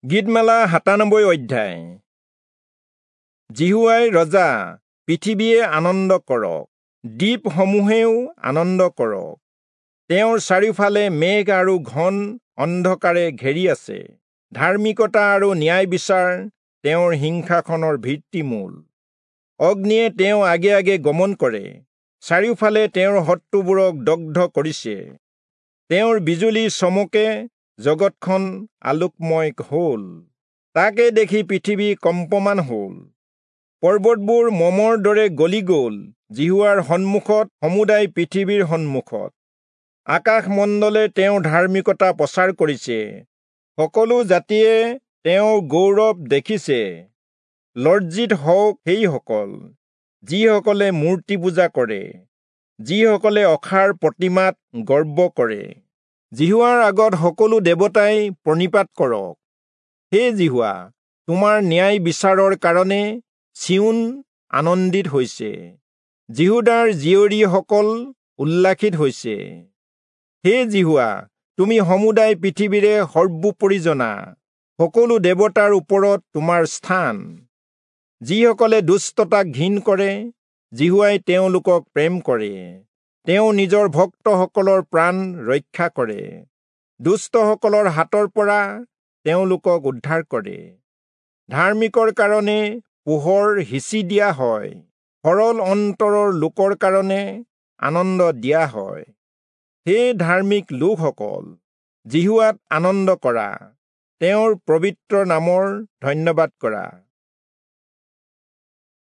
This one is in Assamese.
গীতমালা ৯৭ অধ্যায়। যিহোৱাই ৰজা, পৃথিৱীয়ে আনন্দ কৰক, দ্বীপসমূহেও আনন্দ কৰক। তেওঁৰ চাৰিওফালে মেঘ আৰু ঘন অন্ধকাৰে ঘেৰি আছে। ধাৰ্মিকতা আৰু ন্যায় বিচাৰ তেওঁৰ সিংহাসনৰ ভিত্তিমূল। অগ্নিয়ে তেওঁ আগে আগে গমন কৰে, চাৰিওফালে তেওঁৰ শত্ৰুবোৰক দগ্ধ কৰিছে। তেওঁৰ বিজুলী চমকে জগতখন আলোকময় হ'ল, তাকে দেখি পৃথিৱী কম্পমান হ'ল। পৰ্বতবোৰ মমৰ দৰে গলি গ'ল যিহোৱাৰ সন্মুখত, সমুদায় পৃথিৱীৰ সন্মুখত। আকাশমণ্ডলে তেওঁৰ ধাৰ্মিকতা প্ৰচাৰ কৰিছে, সকলো জাতিয়ে তেওঁৰ গৌৰৱ দেখিছে। লজ্জিত হওক সেইসকল যিসকলে মূৰ্তি পূজা কৰে, যিসকলে অসাৰ প্ৰতিমাত গৰ্ব কৰে। যিহোৱাৰ আগত সকলো দেৱতাই প্ৰণিপাত কৰক। হে যিহোৱা, তোমাৰ ন্যায় বিচাৰৰ কাৰণে চিয়োন আনন্দিত হৈছে, যিহূদাৰ জীয়ৰীসকল উল্লাসিত হৈছে। হে যিহোৱা, তুমি সমুদায় পৃথিৱীৰে সৰ্বোপৰি জনা, সকলো দেৱতাৰ ওপৰত তোমাৰ স্থান। যিসকলে দুষ্টতাক ঘিণ কৰে, যিহোৱাই তেওঁলোকক প্ৰেম কৰে। তেওঁ নিজৰ ভক্তসকলৰ প্ৰাণ ৰক্ষা কৰে, দুষ্টসকলৰ হাতৰ পৰা তেওঁলোকক উদ্ধাৰ কৰে। ধাৰ্মিকৰ কাৰণে পোহৰ সিঁচি দিয়া হয়, সৰল অন্তৰৰ লোকৰ কাৰণে আনন্দ দিয়া হয়। হে ধাৰ্মিক লোকসকল, যিহোৱাত আনন্দ কৰা, তেওঁৰ পবিত্ৰ নামৰ ধন্যবাদ কৰা।